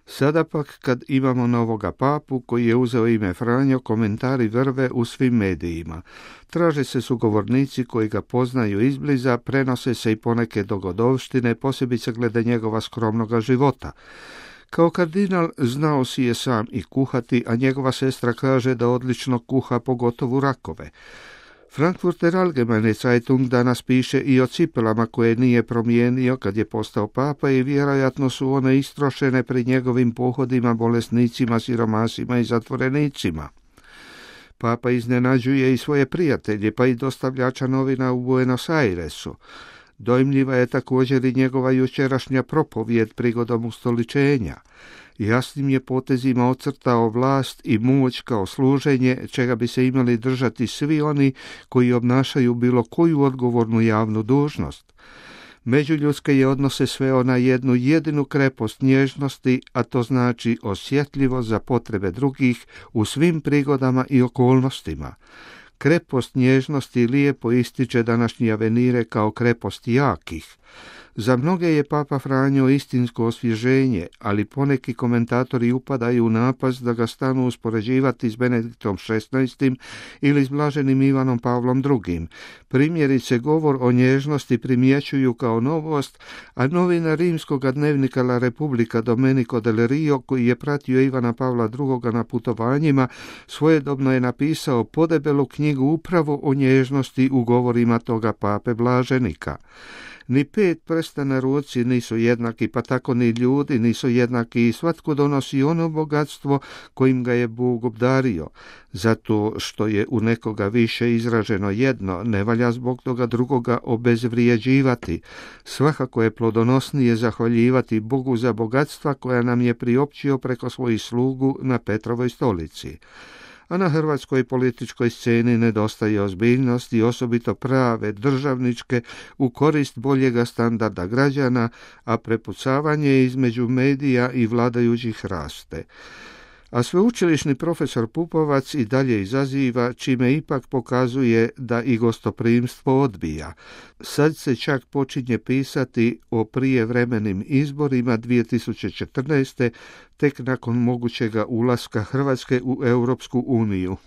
Sada pak, kad imamo novoga papu koji je uzeo ime Franjo, komentari vrve u svim medijima. Traže se sugovornici koji ga poznaju izbliza, prenose se i poneke dogodovštine, posebice glede njegova skromnoga života. Kao kardinal znao si je sam i kuhati, a njegova sestra kaže da odlično kuha, pogotovo rakove. Frankfurter Allgemeine Zeitung danas piše i o cipelama koje nije promijenio kad je postao papa i vjerojatno su one istrošene pri njegovim pohodima bolesnicima, siromasima i zatvorenicima. Papa iznenađuje i svoje prijatelje, pa i dostavljača novina u Buenos Airesu. Dojmljiva je također i njegova jučerašnja propovijed prigodom ustoličenja. Jasnim je potezima ocrtao vlast i moć kao služenje, čega bi se imali držati svi oni koji obnašaju bilo koju odgovornu javnu dužnost. Međuljudske je odnose sveo na jednu jedinu krepost nježnosti, a to znači osjetljivo za potrebe drugih u svim prigodama i okolnostima. Krepost nježnosti lijepo ističe današnji Avenire kao krepost jakih. Za mnoge je Papa Franjo istinsko osvježenje, ali poneki komentatori upadaju u napast da ga stanu uspoređivati s Benediktom XVI ili s blaženim Ivanom Pavlom II. Primjerice, govor o nježnosti primjećuju kao novost, a novinar rimskog dnevnika La Repubblica Domenico del Rio, koji je pratio Ivana Pavla II. Na putovanjima, svojedobno je napisao podebelu knjigu upravo o nježnosti u govorima toga pape blaženika. Ni 5 prsta na ruci nisu jednaki, pa tako ni ljudi nisu jednaki i svatko donosi ono bogatstvo kojim ga je Bog obdario. Zato što je u nekoga više izraženo jedno, ne valja zbog toga drugoga obezvrijeđivati. Svakako je plodonosnije zahvaljivati Bogu za bogatstva koja nam je priopćio preko svojih slugu na Petrovoj stolici. A na hrvatskoj političkoj sceni nedostaje ozbiljnost i osobito prave državničke u korist boljega standarda građana, a prepucavanje između medija i vladajućih raste. A sveučilišni profesor Pupovac i dalje izaziva, čime ipak pokazuje da i gostoprimstvo odbija. Sad se čak počinje pisati o prijevremenim izborima 2014. tek nakon mogućega ulaska Hrvatske u Europsku uniju.